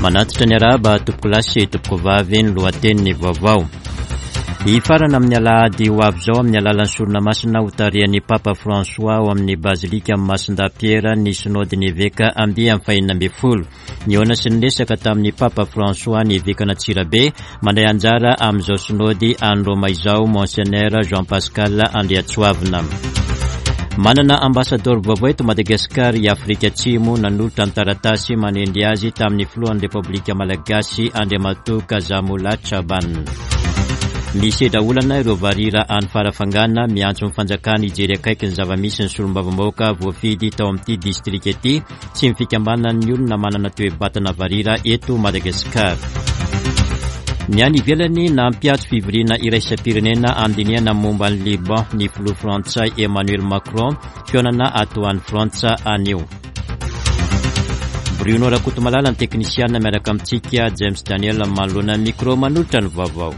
Manatitra ny arahaba tompokolahy sy tompokovavy ny lohatenin'ny vaovao. Hifarana amin'ny alahady ho avy izao amin'ny alalan'ny sorona masina hotarihan'ny Papa François ao amin'ny Bazilika Masindahy Pierre ny Sinodin'ny Eveka andiany fahenina ambin'ny folo. Nihaona sy niresaka tamin'ny Papa François ny evekan'Antsirabe mandray anjara amin'izao Sinody any Roma izao Monseigneur Jean Pascal Andriatsoavina. Manana ambasadaoro vaovao eto Madagasikara i Afrika Atsimo nanolotra ny taratasy manendry azy tamin'ny filohan'ny Repoblika Malagasy Andriamatoa Kazamola Chaban. Misedra olana ireo varira any Farafangana miantso ny fanjakana hijery akaiky ny zava-misy ny solombavambahoaka voafidy tao amin'ity distrika ity sy ny fikambanan'ny olona manana toe-batana varira eto Madagasikara. Ny any ivelany, nampiatso fivoriana iraisam-pirenena handinihana momba an'i Liban ny filoha frantsay Emmanuel Macron, fihaonana ato any Frantsa anio. Bruno Rakotomalala ny teknisiana miaraka amintsika, James Daniel manoloana ny micro manolotra ny vaovao.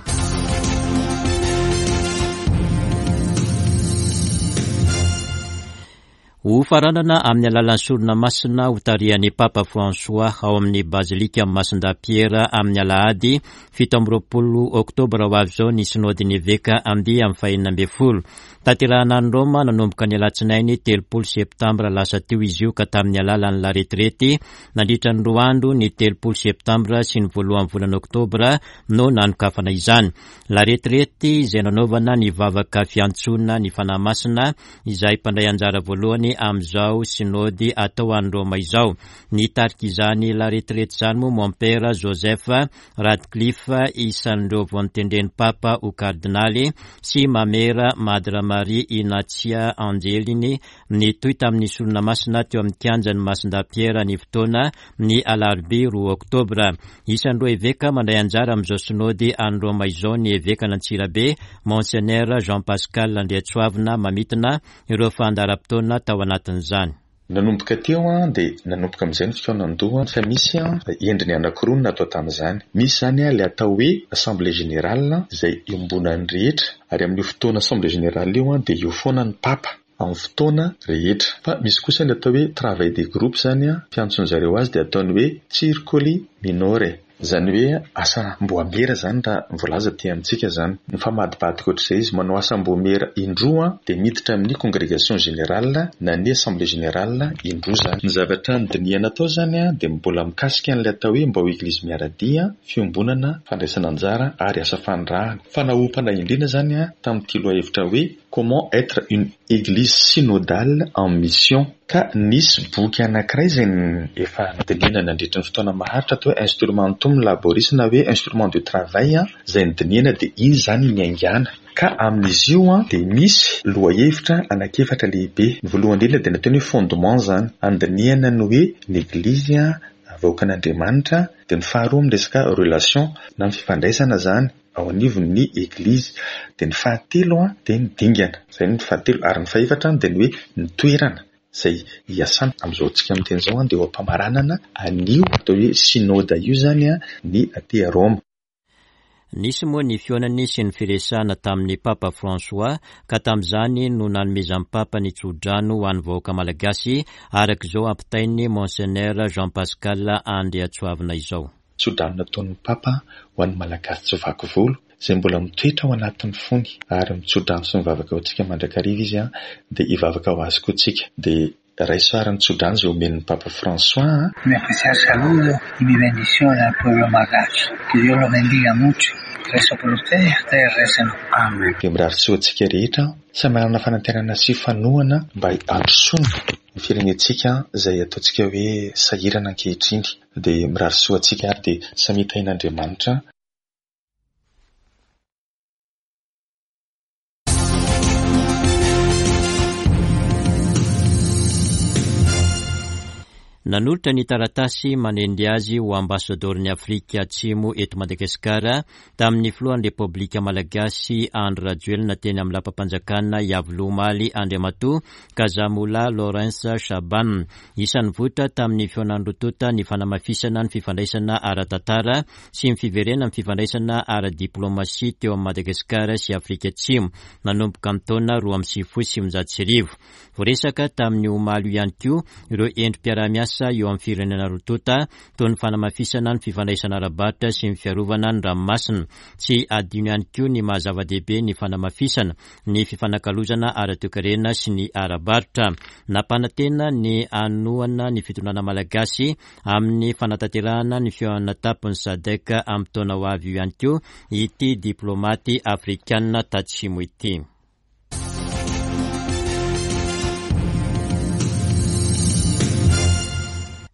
Ho faranana amin'ny alalan'ny sorona masina hotarihan'ny Papa François ao amin'ny Bazilika Masindahy Piera amin'ny alahady 27 oktobra ho avy izao ny Sinodin'ny Eveka andiany fahenina ambin'ny folo. Tanterahina any Roma nanomboka ny alatsinainy 30 septambra lasa teo izy io ka tamin'ny alalan'ny laretirety nandritra ny 2 andro ny 30 septambra sy ny voalohan'ny volana oktobra no nanokafana izany. Laretirety izay nanaovana ny vavaka fiantsoana ny Fanahy Masina izay mpandray anjara voalohany amin'izao Sinody atao any Roma izao. Nitarika izany laretirety izany moa Mompera Joseph Radcliffe, isan'ireo vao notendren'ny Papa ho Kardinaly, sy Mamera Madre Marie Inatia Angelini. Nitohy tamin'ny sorona masina teo amin'ny kianjan'i Masindahy Piera ny fotoana ny alarobia 2 oktobra. Isan'ireo eveka mandray anjara amin'izao Sinody any Roma izao ny evekan'Antsirabe, Monseigneur Jean Pascal Andriatsoavina mamintina ireo fandaharam-potoana tao anatin'izany. Nanomboka teo dia nanomboka amin'izay ny fikaonan-doha fa misy endriny anankiroa no natao tamin'izany. Misy izany ilay atao hoe Assemblée Générale izay iombonan'ny rehetra ary amin'io fotoana Assemblée Générale io dia eo foana ny Papa amin'ny fotoana rehetra. Fa misy kosa ny atao hoe travail de groupe izany, fiantson'ny zareo azy dia ataony hoe circoli minore. Izany hoe asam-boamera izany raha ny voalaza aty amintsika izany. Mifamadibadika ohatr'izay izy. Manao asam-boamera indroa dia miditra amin'ny congrégation générale na ny assemblée générale indroa izany. Ny zavatra nodinihana tao izany dia mbola mikasika an'ilay atao hoe mba ho Eglizy miara-dia, fiombonana, fandraisana anjara ary asa fanirahana. Fa naompana indrindra izany tamin'ity lohahevitra hoe Comment être une Eglise synodale en mission? Ka nisy boky anankiray izay efa nodinihina nandritra ny fotoana maharitra atao hoe Instrumentum laboris na hoe instrument de travail izay nodinihina dia iny izany no niaingàna. Ka amin'izy io dia misy lohahevitra anankiefatra lehibe. Ny voalohany indrindra dia nataony hoe fondement izany, andinihana ny hoe ny Eglizy vahoakan'Andriamanitra, dia ny faharoa amin'ny resaka relation na ny fifandraisana izany, ao anivon'ny Eglizy. Dia ny fahatelo dia ny dingana, izay ny fahatelo. Ary ny fahefatra dia ny hoe ny toerana izay hiasana. Amin'izao antsika miteny izao dia eo am-pamaranana an'io atao hoe Synoda io izany ny aty Roma. Nisy moa ny fihaonany sy ny firesahana tamin'ny Papa François ka tamin'izany no nanomezan'ny Papa ny tso-drano ho an'ny vahoaka malagasy araka izao ampitain'ny Monseigneur Jean Pascal Andriatsoavina izao. Tso-drano nataon'ny Papa ho an'ny Malagasy tsy vaky volo, izay mbola mitoetra ao anatin'ny fony, ary mitso-drano sy mivavaka ho antsika mandrakariva izy, dia hivavaka ho azy koa tsika. Dia raiso àry ny tso-drano izay omen'ny Papa François a! Un especial saludo y mi bendición al pueblo malgache. Que Dios los bendiga mucho. Rezo por ustedes y ustedes recen. Amen. Dia mirary soa antsika rehetra aho, samy hanana fanantenana sy fanohana mba handrosoana ny firenentsika izay ataontsika hoe sahirana ankehitriny. Dia mirary soa antsika ary dia samia tahin'Andriamanitra. Nanolotra ny taratasy manendry azy ho ambasadaoron'i Afrika Atsimo eto Madagasikara tamin'ny filohan'ny Repoblika Malagasy Andry Rajoelina teny amin'ny lapam-panjakana Iavoloha omaly Andriamatoa Kazamola Lawrence Shaban. Isan'ny nivoitra tamin'ny fihaonan'ny roa tonta ny fanamafisana ny fifandraisana ara-tantara sy ny fiverenan'ny fifandraisana ara-diplaomasia teo amin'i Madagasikara sy Afrika Atsimo nanomboka ny taona 1992. Voaresaka tamin'io omaly io ihany koa ireo endri-piaraha-miasa. fiaraha-miasa eo amin'ny firenena roa tonta toy ny fanamafisana ny fifandraisana ara-barotra sy ny fiarovana ny ranomasina. Tsy adino ihany koa ny maha zava-dehibe ny fanamafisana ny fifanakalozana ara-toekarena sy ny ara-barotra. Nampanantena ny hanohana ny fitondrana malagasy amin'ny fanatanterahana ny fihaonana an-tampon'ny Sadc amin'ny taona ho avy io ihany koa ity diplaomaty afrikanina tatsimo ity.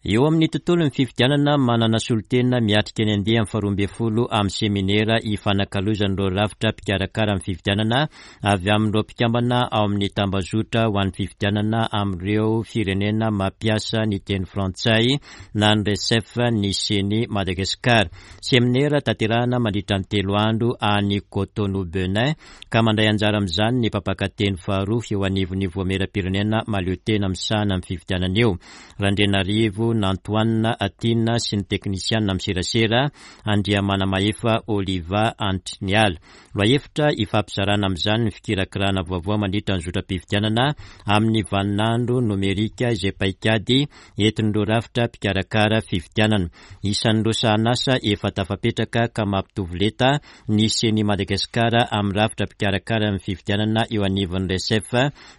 Eo amin'ny tontolon'ny fifidianana, manana solontena miatrika ny andiany faharoa ambin'ny folo amin'ny seminera ifanakalozan'ireo rafitra mpikarakara ny fifidianana avy amin'ireo mpikambana ao amin'ny tambazotra ho an'ny fifidianana amin'ireo firenena mampiasa ny teny frantsay na ny RECEF ny Ceni Madagascar. Seminera tanterahana mandritra ny 3 andro any Cotonou Benin ka mandray anjara amin'izany ny mpampakateny faharoa eo anivon'ny Voamieram-pirenena mahaleotena misahana ny fifidianana eo, Randrianarivo Nantoanina Tiana sy ny teknisianina amin'ny serasera, Andriamanamahefa Oliva Antriniala. Lohahevitra ifampizarana amin'izany ny fikirakirana vaovao mandritra ny zotram-pifidianana amin'ny vaninandro nomerika izay paikady entin'ireo rafitra mpikarakara fifidianana. Isan'ireo sahanasa efa tafapetraka ka mampitovy lenta ny Ceni Madagascar amin'ny rafitra mpikarakara ny fifidianana eo anivon'ny Recef,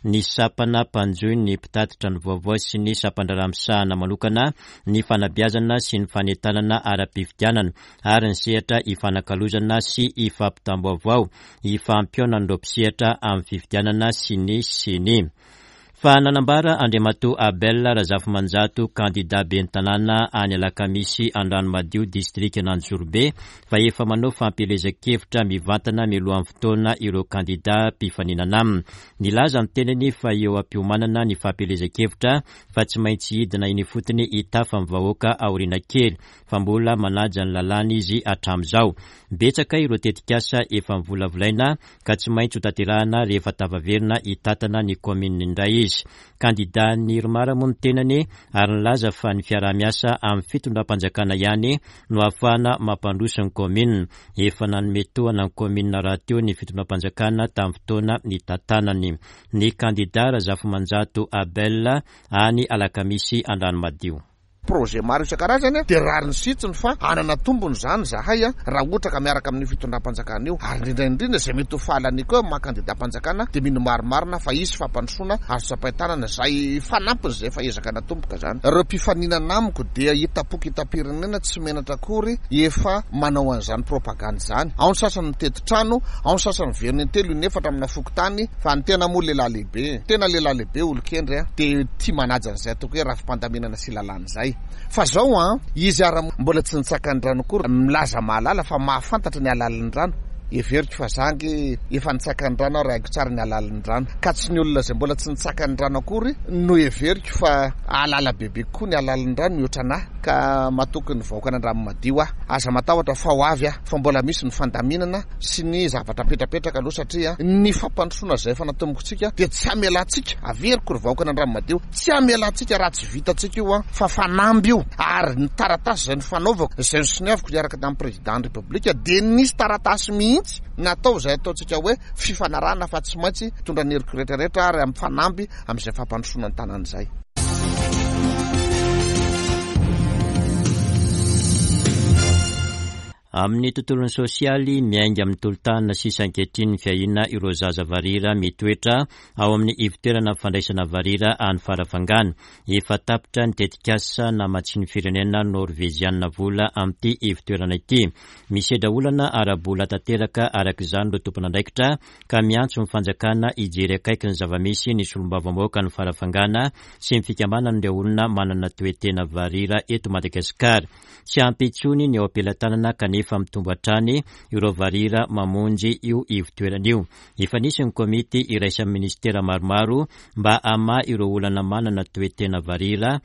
ny sampana mpanjohy ny mpitatitra ny vaovao sy ny sampandraharaha misahana manokana ny fanabeazana sy ny fanentanana ara-pifidianana ary ny sehatra ifanakalozana sy ifampitam-baovao ifampihaonan'ireo mpisehatra amin'ny fifidianana sy ny Ceni. Fa nanambara Andriamatoa Abel Razafimanjato, kandida ben'ny tanàna any Alakamisy Andranomadio, distrikan'Anjozorobe, fa efa manao fampielezan-kevitra mivantana mialohan'ny fotoana ireo kandida mpifaninana aminy. Nilaza ny tenany fa eo am-piomanana ny fampielezan-kevitra fa tsy maintsy hidina eny ifotony hitafa ny vahoaka aoriana kely, fa mbola manaja ny lalàna izy hatramin'izao. Betsaka ireo tetikasa efa novolavolaina ka tsy maintsy ho tanterahana rehefa tafaverina hitantana ny kaominina indray izy. Kandidan'ny Irmar moa ny tenany ary nilaza fa ny fiaraha-miasa amin'ny fitondram-panjakana ihany no ahafahana mampandroso ny kaominina. Efa nanome tohana ny kaominina rahateo ny fitondram-panjakana tamin'ny fotoana nitantanany. Ny kandida Razafimanjato Abel any Alakamisy Andranomadio. Projet maro isan-karazany dia rariny sy hitsiny fa hanana tombony izany izahay raha ohatra ka miaraka amin'io fitondram-panjakana io ary indrindra indrindra izay mety ho fahalaniako eo amin'ny maha kandidam-panjakana dia mino marimarina fa hisy fampandrosoana azo tsapain-tanana izay fanampiny izay efa ezaka natomboka izany. Ireo mpifaninana amiko dia hitam-poko hitam-pirenena tsy menatra akory efa manao an'izany propagande izany. Ao ny sasany mitety trano, ao ny sasany miverina intelo inefatra amina fokontany fa ny tena moa lehilahy lehibe, tena lehilahy lehibe olon-kendry dia tia manaja an'izay ataoko hoe rafi-pandaminana sy lalàna izay. Fa zao an, izy ara mbola tsy nitsaka ny rano akory, milaza mahalala fa mahafantatra ny halalin'ny rano. Heveriko fa za ange efa nitsaka ny rano ary haiko tsara ny halalin'ny rano. Ka tsy ny olona izay mbola tsy nitsaka ny rano akory no heveriko fa hahalala bebe kokoa ny halalin'ny rano mihoatra anah. Ka matoky ny vahoakan'Andranomadio aho. Aza matahotra fa ho avy aho. Fa mbola misy ny fandaminana sy ny zavatra apetrapetraka aloha satria ny fampandrosoana izay efa natombokintsika dia tsy hamelantsika, averiko ry vahoakan'Andranomadio, Tsy hamelantsika raha tsy vitantsika io an, fa fanamby io, ary ny taratasy izay nifanaovako, izay nosoniaviko niaraka tamin'ny Président ny République dia nisy taratasy mihitsy natao izay ataontsika hoe fifanarahana fa tsy maintsy hitondra ny heriko rehetra rehetra ary amin'ny fanamby amin'izay fampandrosoana ny tanàna izay. Amin'ny tontolon'ny sosialy, miainga amin'ny tolo-tanana sisa ankehitriny ny fiahiana ireo zaza varira mitoetra ao amin'ny ivotoerana fandraisana varira any Farafangana. Efa tapitra ny tetikasa namatsian'ny firenena Norveziana vola amin'ity ivotoerana ity. Misedra olana ara-bola tanteraka araka izany ireo tompon'andraikitra ka miantso ny fanjakana hijery akaiky ny zava-misy ny solombavambahoakan'i Farafangana sy ny fikambanan'ireo olona manana toe-tena varira eto Madagasikara. Tsy ampy intsony ny eo am-pelatanana kanefa mitombo hatrany ireo varira mamonjy io ivotoerana io. Efa nisy ny komity iraisan'ny minisitera maromaro mba hamaha ireo olana manana toe-tena varira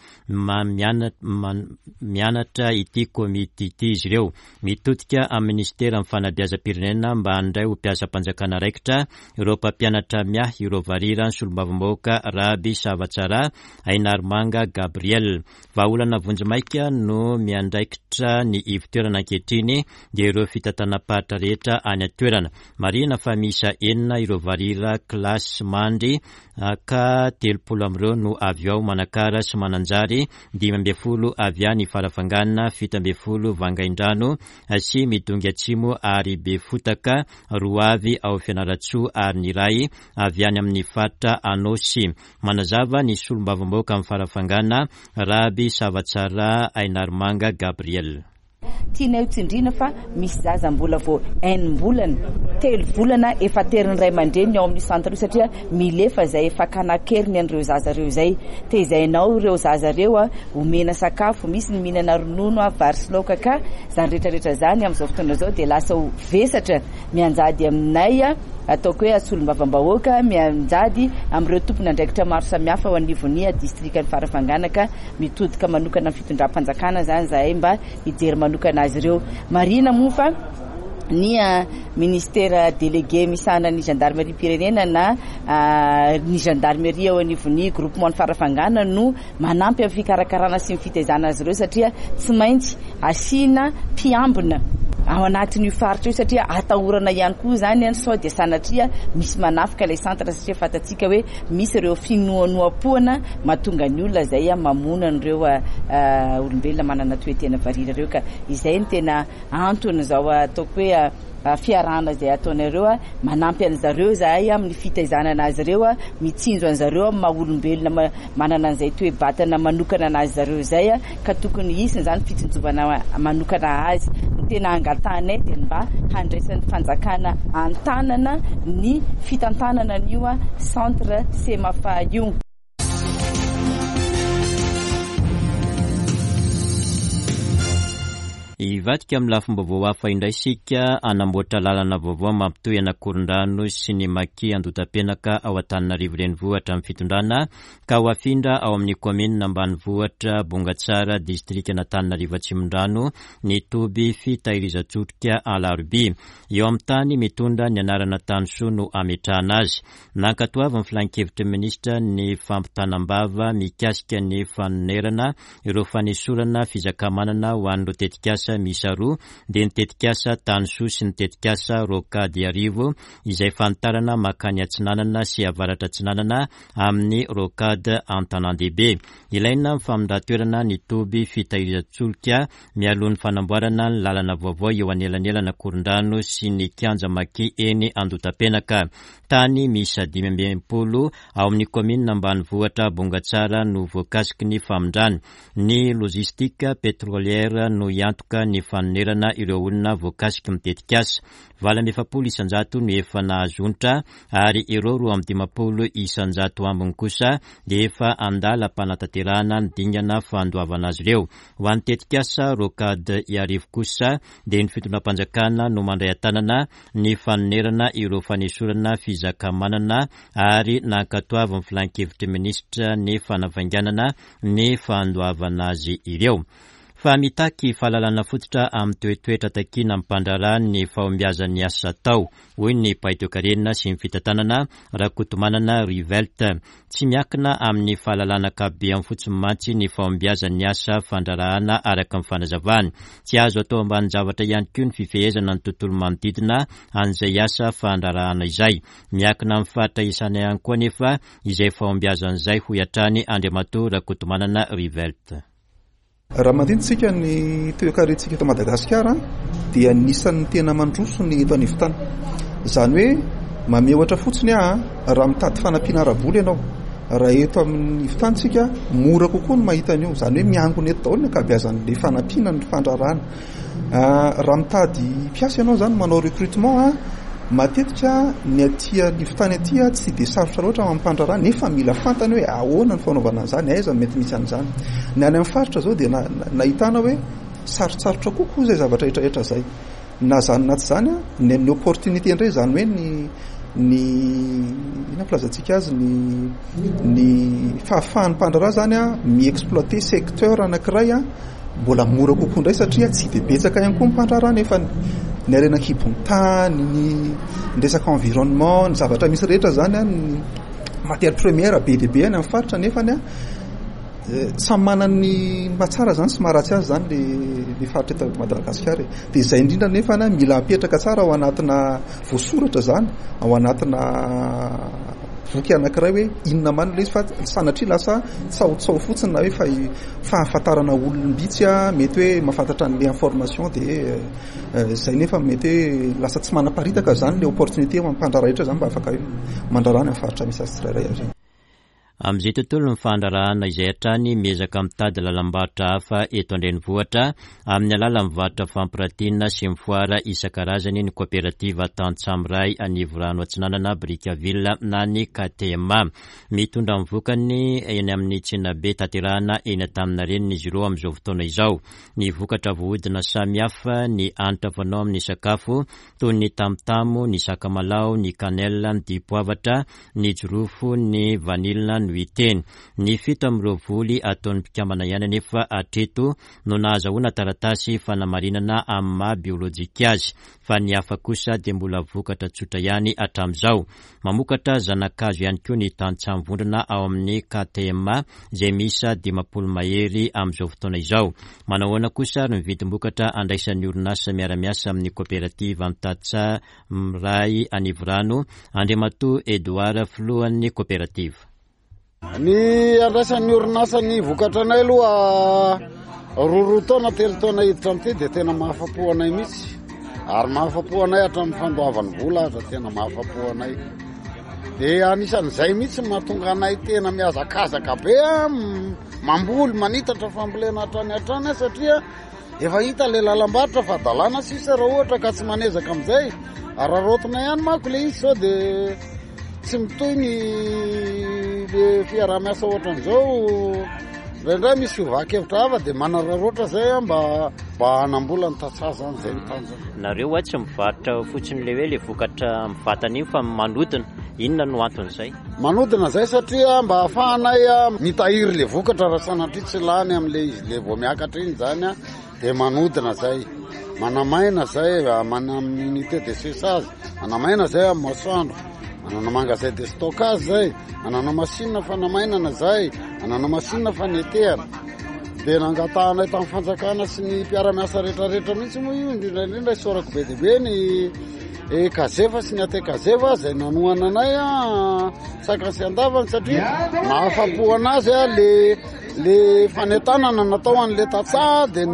mianatra ity komity ity izy ireo. Mitodika amin'ny minisiteran'ny fanabeazam-pirenena mba handray ho mpiasam-panjakana raikitra ireo mpampianatra miahy ireo varira ny solombavambahoaka Raby Savatsarah Ainarimanga Gabriel. Vahaolana vonjimaika no miandraikitra ny ivotoerana ankehitriny dia ireo fitantanam-paritra rehetra any an-toerana. Marihina fa miisa enina ireo varira kilasy mandry ka 30 amin'ireo no avy ao Manakara sy Mananjary, 15 avy any Farafangana, 17 Vangaindrano sy Midongy Atsimo ary Befotaka, roa avy ao Fianarantsoa ary ny iray avy any amin'ny faritra Anôsy. Manazava ny solombavambahoaka amin'ny Farafangana, Raby Savatsarah Ainarimanga Gabriel. Tianay ho tsindriana fa misy zaza mbola vao enim-bolana, telo volana efa terin'ny ray aman-dreniny ao amin'io centre io satria milefa izay fakana an-keriny an'ireo zaza ireo izay. Tezaina ao ireo zaza ireo, omena sakafo, misy ny mihinana ronono, vary sy laoka ka izany rehetra rehetra izany amin'izao fotoana izao dia lasa ho vesatra mianjady aminay, ataoko hoe solombavambahoaka, mianjady amin'ireo tompon'andraikitra maro samihafa ao anivon'ny distrikan'i Farafangana ka Mitodika manokana amin'ny fitondram-panjakana izany izahay mba hijery manokana azy ireo. Marihina moa fa ny ministera délégué misahana ny gendarmerie-pirenena na ny gendarmerie eo anivon'ny groupement ny Farafangana no manampy amin'ny fikarakarana sy ny fitaizana azy ireo satria tsy maintsy asiana mpiambina ao anatin'io faritra io satria atahorana ihany koa izany sao dia sanatria misy manafika ilay centre satria fantatsika hoe Misy ireo finoanoam-poana mahatonga ny olona izay mamono an'ireo olombelona manana toe-tena varira ireo ka izay no tena anton'izao ataoko hoe fiarahana izay ataonareo, manampy an'izareo izahay amin'ny fitaizana an'azy ireo, mitsinjo an'izareo amin'ny maha olombelona manana an'izay toe-batana manokana an'azy zareo izay ka tokony hisy izany fitsinjovana manokana azy. Ny tena angatahanay dia ny mba handraisan'ny fanjakana an-tanana ny fitantanana an'io centre Semafa io. Hivadika amin'ny lafim-baovao hafa indray isika, hanamboatra lalana vaovao mampitohy an'Akorondrano sy ny Maki Andotapenaka ao Antananarivo Renivohitra amin'ny fitondrana ka ho afindra ao amin'ny kaominina ambanivohitra Bongatsara, distrikan'Antananarivo Atsimondrano, ny toby fitahirizan-tsolika Alarobia. Eo amin'ny tany mitondra ny anarana Tanisoa no hametrahana azy. Nankatoavin'ny filankevitry ny minisitra ny fampitanam-bava mikasika ny fanonerana ireo fanesorana fizakamanana ho an'ireo tetikasa miisa roa dia ny tetikasa Tanisoa sy ny tetikasa Rocade Iarivo izay fanitarana mankany atsinanana sy avaratra atsinanana amin'ny rocade an-tanàn-dehibe. Ilaina ny famindran-toerana ny toby fitahirizan-tsolika mialoha ny fanamboarana ny lalana vaovao eo anelanelan'Ankorondrano sy ny kianja Maki eny Andotapenaka. Tany miisa 65 ao amin'ny kaominina ambanivohitra Bongatsara no voakasiky ny famindrana. Ny Logistique Pétrolière no hiantoka ny fanonerana ireo olona voakasiky ny tetikasa. 48% no efa nahazo onitra ary ireo 52% ambiny kosa dia efa andalam-panatanterahana ny dingana fandoavana azy ireo. Ho an'ny tetikasa Rocade Iarivo kosa dia ny fitondram-panjakana no mandray an-tanana ny fanonerana ireo fanesorana fizakamanana ary nankatoavin'ny filankevitry minisitra ny fanavainganana ny fandoavana azy ireo. Fa mitaky fahalalana fototra amin'ny toetoetra takiana amin'ny mpandraharaha ny fahombiazan'ny asa atao, hoy ny mpahay toekarena sy ny fitantanana, Rakotomanana Rivelt. Tsy miankina amin'ny fahalalana ankapobeany fotsiny mantsy ny fahombiazan'ny asa fandraharahana araka ny fanazavany. Tsy azo atao ambanin-javatra ihany koa ny fifehezana ny tontolo manodidina an'izay asa fandraharahana izay. Miankina amin'ny faritra iasana ihany koa anefa izay fahombiazana izay, hoy hatrany Andriamatoa Rakotomanana Rivelt. Raha mandinika ny toekarentsika eto Madagasikara dia anisan'ny tena mandroso ny eto anivon-tany. Izany hoe mamehy ohatra fotsiny aho raha mitady fanampiana ara-bola ianao, raha eto amin'ny ivon-tany isika mora kokoa ny mahita an'io. Izany hoe miangona eto daholo ny ankabeazan'ilay fanampiana ny fandraharahana. Raha mitady mpiasa ianao izany manao recrutement, matetika ny aty anivon-tany aty tsy dia sarotra loatra amin'ny mpandraharaha nefa mila fantany hoe ahoana ny fanaovana an'izany, aiza no mety misy an'izany. Ny any amin'ny faritra izao dia nahitana hoe sarotsarotra kokoa izay zavatra rehetrarehetra izay. Na izany na tsy izany, ny ny opportunité indray izany hoe ny ny inona filazantsika azy ny ny fahafahan'ny mpandraharaha izany mi-exploiter secteur anankiray Mbola mora kokoa indray satria tsy dia betsaka ihany koa ny mpandraharaha nefa ny harena an-kibon'ny tany, ny resaka environnement, ny zavatra misy rehetra izany an, ny matière première be dia be any amin'ny faritra nefa ny samy manana ny mahatsara izany sy maharatsy azy izany le. ny faritra eto Madagasikara e. Dia izay indrindra nefa mila apetraka tsara ao anatina voasoratra izany, ao anatina boky anankiray hoe inona marina ilay izy fa sanatria lasa tsahotsao fotsiny na hoe fahafantarana olom-bitsy mety hoe mahafantatra an'ilay information dia izay nefa mety hoe lasa tsy manaparitaka izany ilay opportunité ho an'ny mpandraharaha rehetra izany mba afaka hoe mandraharaha any amin'ny faritra misy azy tsirairay avy. Amin'izay tontolon'ny fandraharahana izay hatrany, miezaka mitady lalam-barotra hafa eto an-drenivohitra amin'ny alalan'ny varotra fampiratiana sy ny foara isan-karazany ny kaoperativa Tantsaha Miray Anivorano Atsinanana Brickaville na ny KTMA. Mitondra ny vokany eny amin'ny tsenabe tanterahana eny Antaninarenina izy ireo amin'izao fotoana izao. Ny vokatra voahodina samihafa, ny hanitra fanao amin'ny sakafo toy ny tamotamo, ny sakamalaho, ny cannelle, ny dipoavatra, ny jirofo, ny vanila no hita eny. Ny fito amin'ireo voly ataon'ny mpikambana ihany anefa hatreto no nahazahoana taratasy fanamarinana amin'ny maha biolojika azy, fa ny hafa kosa dia mbola vokatra tsotra ihany hatramin'izao. Mamokatra zana-kazo ihany koa ny tantsaha mivondrona ao amin'ny KTMA izay miisa 50 mahery amin'izao fotoana izao. Manao ahoana kosa ary ny vidim-bokatra andraisan'ny orinasa miara-miasa amin'ny kaoperativa Antatsaha Miray Anivorano, Andriamatoa Edouard filohan'ny kaoperativa. Ny andraisan'ny orinasa ny vokatra anay aloha roa roa taona telo taona hiditra amin'ity dia tena mahafa-po anay mihitsy ary mahafa-po anay hatramin'ny fandoavany vola aza tena mahafa-po anay dia anisan'izay mihitsy mahatonga anay tena mihazakazaka be mamboly manitatra fambolena hatrany hatrany satria Efa hita le lalam-barotra fa hadalana sisa raha ohatra ka tsy manezaka amin'izay. Araraotina ihany manko le izy sao de tsy mitohy ny le fiaraha-miasa ohatran'izao. Indraindray misy fiovan-kevitra hafa de manararaotra zay aho mba mba hanambola ny tantsaha zany, zay ny tanjona. Nareo hoa tsy mivarotra fotsiny le hoe le vokatra mivantana iny fa manodina, inona no anton'izay? Manodina zay satria mba ahafahanay mitahiry le vokatra raha sanatria tsy lany amle izy le vao miakatra iny zany de manodina zay, manamaina zay amin'ny unité de séchage, manamaina zay amin'ny masoandro, manana magasin de stockage zay, manana machine fanamainana zay, manana machine fanetehana. De nangatahanay tamin'ny fanjakana sy ny mpiara-miasa rehetrarehetra mihitsy moa io, indrindra indrindra isaorako be dia be ny Ekazefa sy ny Atekazefa izay nanohana anay saika sy andavany satria nahafapo anazy le le fanentanana natao an'le tantsaha dia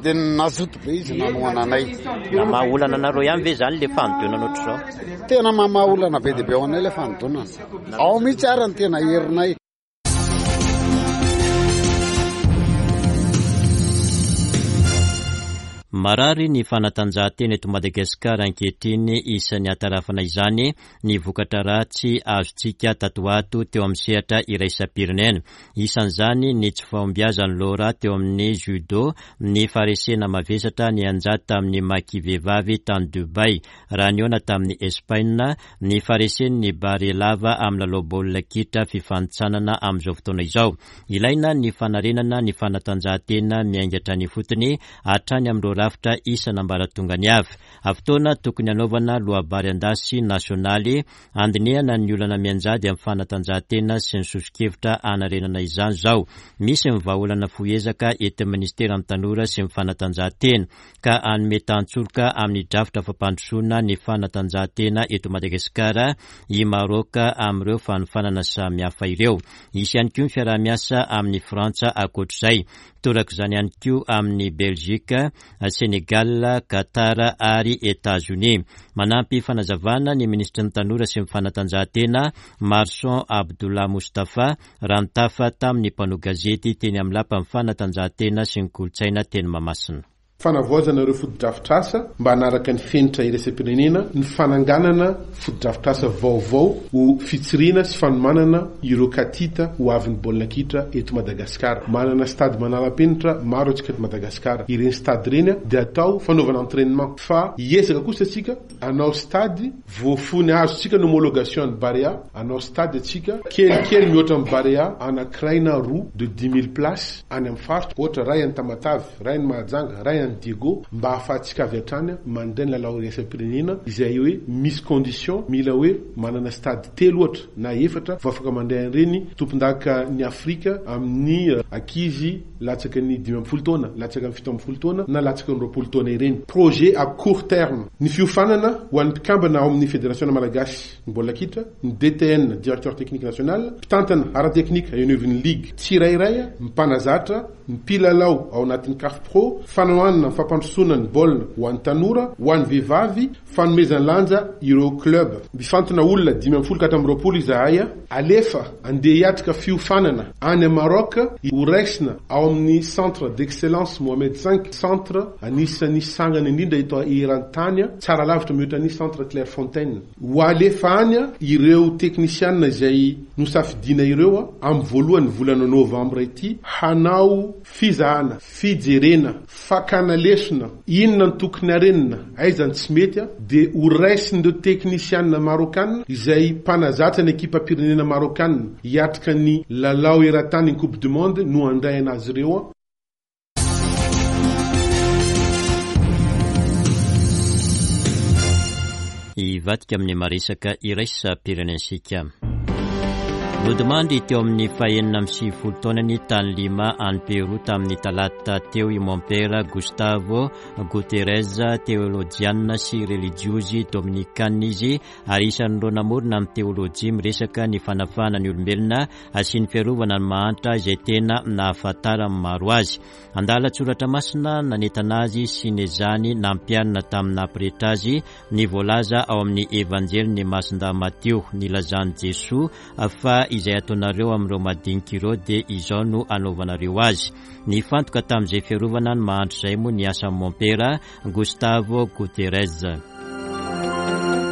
dia nazoto be izy nanohana anay. Namaha olana anareo ihany ve izany le fanodonana ohatr'izao? Tena mamaha olana be dia be ho anay le fanodonana. Ao mihitsy ary ny tena herinay. Marary ny fanatanjahantena eto Madagasikara ankehitriny, isan'ny hatarafana izany ny vokatra ratsy azontsika tato ho ato teo amin'ny sehatra iraisam-pirenena. Isan'izany ny tsy fahombiazan'i Laura teo amin'ny judo, ny faharesena mavesatra nianjady tamin'ny Maki vehivavy tany Dubaï raha nihaona tamin'i Espaina, ny faharesen'ny Barea lava amin'ny lalao baolina kitra fifanintsanana amin'izao fotoana izao. Ilaina ny fanarenana ny fanatanjahantena miainga hatrany ifotony hatrany amin'ireo rafitra isan'ambaratongany avy. Fotoana tokony hanaovana loabary an-dasy nasionaly handinihana ny olana mianjady amin'ny fanatanjahantena sy ny soso-kevitra hanarenana izany izao. Misy ny vahaolana fohy ezaka entin'ny minisiteran'ny Tanora sy ny fanatanjahantena. ka hanome tantsoroka amin'ny drafitra fampandrosoana ny fanatanjahantena eto Madagasikara i Maroc amin'ireo fanofanana samihafa ireo. Hisy ihany koa ny fiaraha-miasa amin'i Frantsa ankoatr'izay. Torak'izany ihany koa amin'i Belgique, Sénégal, Qatar ary Etazonia. Manampy fanazavana ny minisitry ny Tanora sy ny fanatanjahantena, Marson Abdullah Moustapha, raha nitafa tamin'ny mpanao gazety teny amin'ny Lapan'ny fanatanjahantena sy ny kolontsaina teny Mahamasina. Fanavaozana ireo fotodrafitrasa mba hanaraka ny fenitra iraisam-pirenena, ny fananganana fotodrafitrasa vaovao ho fitsiriana sy fanomanana ireo katita ho avin'ny baolina kitra eto Madagasikara. Manana stade manara-penitra maro antsika eto Madagasikara. Ireny stade ireny dia atao fanaovana entrainement fa hiezaka kosa isika hanao stade Voafony azontsika ny homologation an'i Barea, hanao stade antsika, kelikely mihoatra amin'i Barea, anakiray na roa de 10,000 places any amin'ny faritra, ohatra ray any Tamatave, ray any Mahajanga, ray any. tany Diego mba ahafahantsika avy hatrany mandray ny lalao iraisam-pirenena izay hoe misy condition mila hoe manana stade telo ohatra na efatra vao afaka mandray an'ireny tompondaka ny Afrika amin'ny ankizy latsaky ny 15 taona, latsaky ny 17 taona na latsaky ny 20 taona ireny. Projet à court terme. Ny fiofanana ho an'ny mpikambana ao amin'ny Federasiona Malagasy ny baolina kitra, ny DTN, Directeur Technique National, mpitantana ara-teknika eo anivon'ny ligue tsirairay, mpanazatra, ny mpilalao ao anatin'ny Caf Pro, fanohanana ny fampandrosoana ny baolina ho an'ny tanora, ho an'ny vehivavy, fanomezan-lanja ireo club. Mifantina olona 15 ka hatramin'ny 20 izahay, alefa andeha hiatrika fiofanana any Maroc, ho raisina ao amin'ny Centre d'Excellence Mohamed V, centre anisan'ny sangany indrindra eto eran-tany, tsara lavitra mihoatra ny Centre Clairefontaine. Ho alefa any ireo teknisianina izay nosafidiana ireo amin'ny voalohan'ny volana novambra ity hanao fizahana, fijerena, fakana lesona, inona no tokony harenina, aiza ny tsy mety, dia ho raisin'ireo teknisianina Marôkana izay mpanazatra ny ekipam-pirenena Marôkana hiatrika ny lalao eran-tany ny Coupe du Monde no handray an'azy ireo. Hivadika amin'ny maresaka iraisam-pirenentsika. Nodimandry teo amin'ny fahenina amby sivifolo taonany tany Lima any Pérou tamin'ny talata teo i Mompera Gustavo Guterres, teolojianina sy relijiozy dominikana izy ary isan'ireo namorona ny teolojia miresaka ny fanafahana ny olombelona sy ny fiarovana ny mahantra izay tena nahafantaran'ny maro azy. Andalan-tsoratra masina nanentana azy sy nezahany nampiharina tamin'ny naha-pretra azy ny voalaza ao amin'ny Evanjelin'i Masindahy Matio, nilazan'i Jesoa fa izay ataonareo amin'ireo madinika ireo dia izao no anaovanareo azy. Nifantoka tamin'izay fiarovana ny mahantra izay moa ny asan'i Mompera Gustavo Guterres.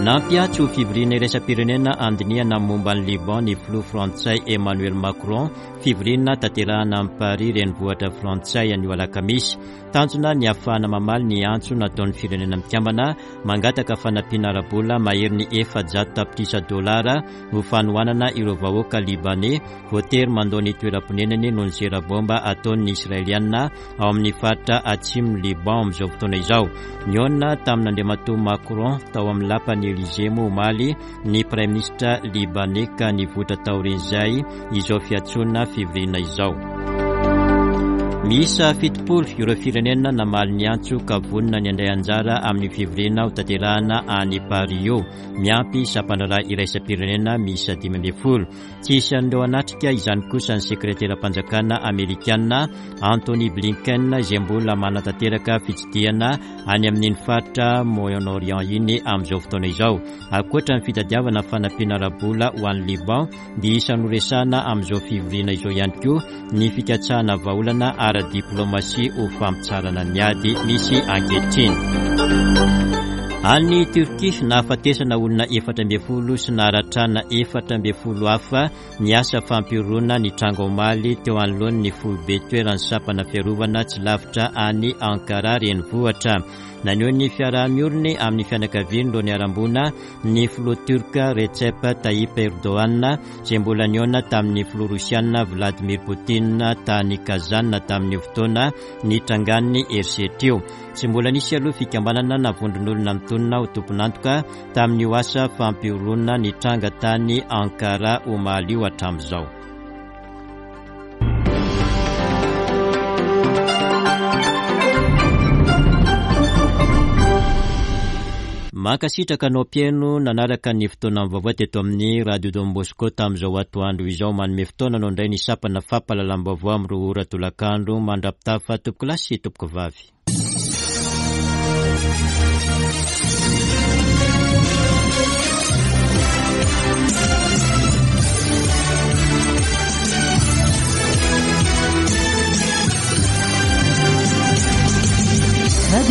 Nampiantso fivoriana iraisam-pirenena handinihana momba an'i Liban ny filoha frantsay Emmanuel Macron, fivoriana tanterahana amin'i Paris renivohitra frantsay anio alakamisy. Tanjona ny hahafahana mamaly ny antso nataon'ny Firenena Mikambana mangataka fanampiana ara-bola maherin'ny 400 tapitrisa dolara ho fanohanana ireo vahoaka libaney voatery mandao ny toeram-ponenany noho ny zera baomba ataon'ny Israeliana ao amin'ny faritra atsimon'i Liban amin'izao fotoana izao. Nihaona tamin'Andriamatoa Macron tao amin'ny lapan'i Elysée moa omaly ny Praiminisitra Libaney ka nivoitra taorian'izay izao fiantsoana fivoriana izao. Miisa 70 ireo firenena namaly ny antso ka vonona ny handray anjara amin'ny fivoriana hotanterahana any Paris io, miampy sampandraharaha iraisam-pirenena miisa 15. Tsy isan'ireo hanatrika izany kosa ny sekreteram-panjakana amerikana Antony Blinken izay mbola manatanteraka fitsidihana any amin'iny faritra Moyen-Orient iny amin'izao fotoana izao. Ankoatra ny fitadiavana fanampiana ara-bola ho an'i Liban dia isan'ny horesahana amin'izao fivoriana izao ihany koa ny fikatsahana vahaolana ara-diplaomasia ho fampitsaharana ny ady misy ankehitriny. Any Turquie, nahafatesana olona 14 sy naharatrana 14 hafa ny asa fampihorohoroana nitranga omaly teo anoloan'ny foibe toeran'ny sampana fiarovana tsy lavitra any Ankara renivohitra. Naneho ny fiaraha-mioriny amin'ny fianakavian'ireo niharam-boina ny filoha Turc Recep Tayyip Erdogan izay mbola nihaona tamin'ny filoha Rosiana Vladimir Putin tany Kazan tamin'io fotoana nitrangan'ny herisetra io. Tsy mbola nisy aloha fikambanana na vondron'olona mitonona ho tompon'antoka tamin'io asa fampihorohoroana nitranga tany Ankara omaly io hatramin'izao. Mankasitraka anao mpihaino nanaraka ny fotoana vaovao teto amin'ny Radio Don Bosco tamin'izao atoandro izao. Manome fotoana anao indray ny sampana fampahalalam-baovao amin'ny 2 ora tolakandro. Mandra-pitafa tompokolahy sy tompokovavy.